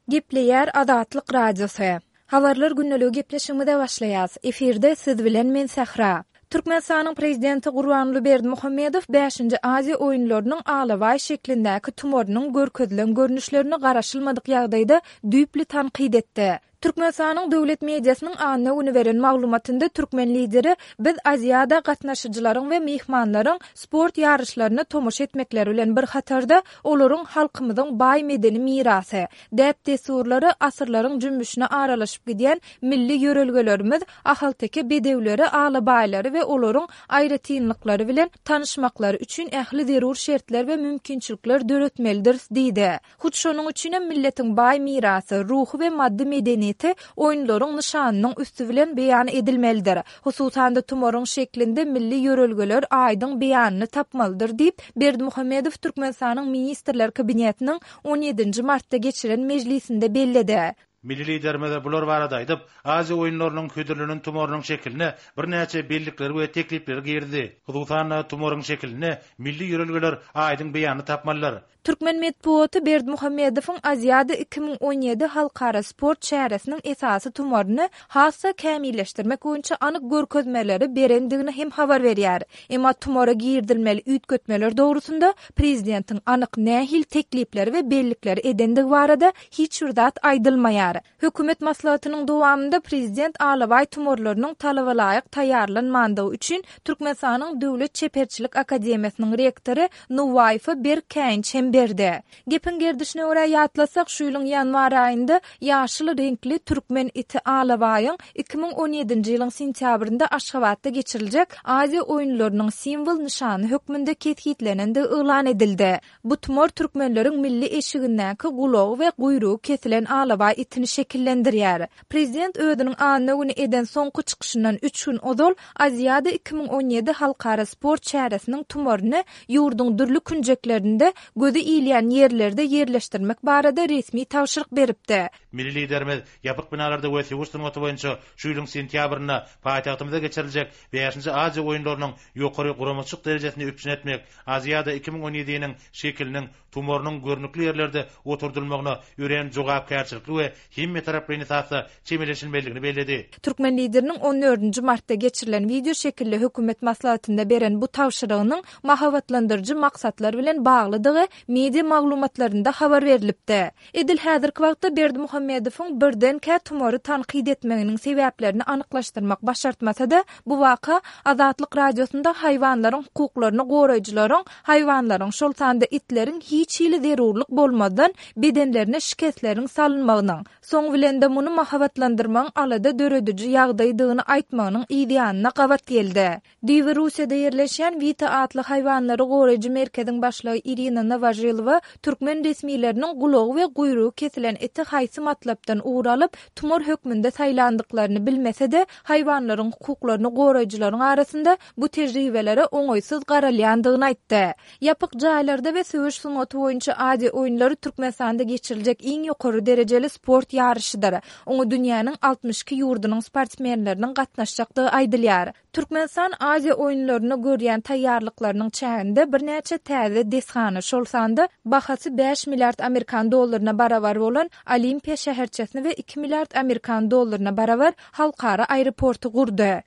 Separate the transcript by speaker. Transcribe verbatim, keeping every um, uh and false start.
Speaker 1: Gepleýär Azatlyk Radiosy. Habarlar gündeligi gepleşigimize başlaýas. Efirde siz bilen men Sähra. Türkmenistanyň Prezidenti Gurbanguly Berdimuhamedow bäşinji Aziýa oýunlarynyň alabaý şeklindäki tumarynyň görkezilen görnüşlerini garaşylmadyk ýagdaýda düýpli tankyt etdi. Türkmenistanyň döwlet mediasynyň anna güni beren maglumatynda türkmen Lideri Biz Aziada gatnaşyjylaryň we myhmanlaryň sport ýaryşlaryna tomaşa etmekleri bilen bir hatarda, olaryň halkymyzyň baý medeni mirasy, däp-dessurlary, asyrlaryň jümmüşine aralaşyp gidýän milli ýörelgelerimiz, ahalteke bedewleri, alabaýlary we olaryň aýratynlyklary bilen tanyşmaklary üçin ähli zerur şertler we mümkinçilikler döretmelidiris diýdi. Hut şonuň üçinem milletiň baý mirasy, ruhy we maddy medeniýeti oýunlaryň nyşanynyň üsti bilen beýan edilmelidir. Hususan-da, tumaryň şeklinde milli ýörelgeler aýdyň beýanyny tapmalydyr diýip, Berdimuhamedow Türkmenistanyň Ministrler Kabinetiniň on ýedinji martda geçiren mejlisinde belledi.
Speaker 2: Milli Liderimiz bular barada aýdyp, Aziýa oýunlarynyň hödürlenen tumarynyň şekiline birnäçe bellikleri we teklipleri girizdi. Hususan-da, tumaryň şekilinde milli ýörelgeler aýdyň beýanyny tapmalydyr.
Speaker 1: Türkmen metbugaty Berdimuhamedowyň Aziada iki müň on ýedi halkara sport çäresiniň esasy tumaryny has-da kämilleşdirmek boýunça anyk görkezmeleri berendigini hem habar berýär. Emma tumara girizilmeli üýtgetmeler dogrusynda prezidentiň anyk nähili teklipleri we bellikleri edendigi barada hiç bir zat aýdylmaýar. Hökümet maslahatynyň dowamynda prezident alabaý tumarlarynyň talabalaýyk taýýarlanmandygy üçin Türkmenistanyň Döwlet çeperçilik akademiýasynyň rektory Nuwaýewe berk käýinç hem berdi. Gepiň gerdişine görä ýatlasak, şu ýylyň ýanwar aýynda ýaşyl reňkli türkmen iti alabaýyň iki müň on ýedinji ýylyň sentýabrynda Aşgabatda geçiriljek Aziýa oýunlarynyň simwol nyşany hökmünde kesgitlenendigi yglan edildi. Bu tumar türkmenleriň milli eşigindäki gulagy we guýrugy kesilen alabaý itini şekillendirýär. Prezident özüniň anna güni eden soňky çykyşyndan üç gün ozal Aziada iki müň on ýedi halkara sport çäresiniň tumaryny ýurduň dürli künjeklerinde gözi ilýän ýerlerde ýerleşdirmek barada resmi tabşyryk beripdi.
Speaker 2: Milli Liderimiz ýapyk binalarda we söweş sungaty boýunça şu ýylyň sentýabrynda paýtagtymyzda geçiriljek bäşinji Aziýa oýunlarynyň ýokary guramaçylyk derejesini üpjün etmek, Aziada iki müň on ýediniň şekiliniň tumarynyň görnükli ýerlerde oturdylmagyna örän jogapkärçilikli we hemmetaraplaýyn esasda çemeleşilmelidigini belledi.
Speaker 1: Türkmen Lideriniň on dördünji martda geçirilen wideoşekilli hökümet maslahatynda beren bu tabşyrygynyň mahabatlandyryjy maksatlar bilen baglydygy media maglumatlarynda habar berlipdi. Edil häzirki wagtda Berdimuhamedowyň birdenkä tumary tankyt etmeginiň sebäplerini anyklaşdyrmak başartmasa-da, bu waka Azatlyk Radiosynda haýwanlaryň hukuklaryny goraýjylaryň haýwanlaryň, şol sanda itleriň hiç hili zerurlyk bolmazdan bedenlerine şikesleriň salynmagynyň, soň bilen-de muny mahabatlandyrmagyň alada dörediji ýagdaýdygyny aýtmagynyň yzýanyna gabat geldi. Düýbi Russiýada ýerleşýän Wita atly haýwanlary goraýjy merkeziň başlygy Irina Nowožilowa türkmen resmileriniň gulagy we guýrugy kesilen iti haýsy matlapdan ugur alyp, tumar hökmünde saýlandyklaryny bilmese-de, haýwanlaryň hukuklaryny goraýjylaryň arasynda bu tejribelere oňaýsyz garalýandygyny aýtdy. Ýapyk jaýlarda we söweş sungaty boýunça Aziýa oýunlary Türkmenistanda geçiriljek iň ýokary derejeli sport ýaryşydyr. Oňa dünýäniň altmyş iki ýurdunyň sportsmenleriniň gatnaşjakdygy aýdylýar. Türkmenistan Aziýa oýunlaryna görýän taýýarlyklarynyň çäginde birnäçe täze desgany, şol sanda bahasy bäş milliard amerikan dollaryna barabar bolan Olimpiýa şäherçesini we iki milliard amerikan dollaryna barabar halkara aeroporty gurdy.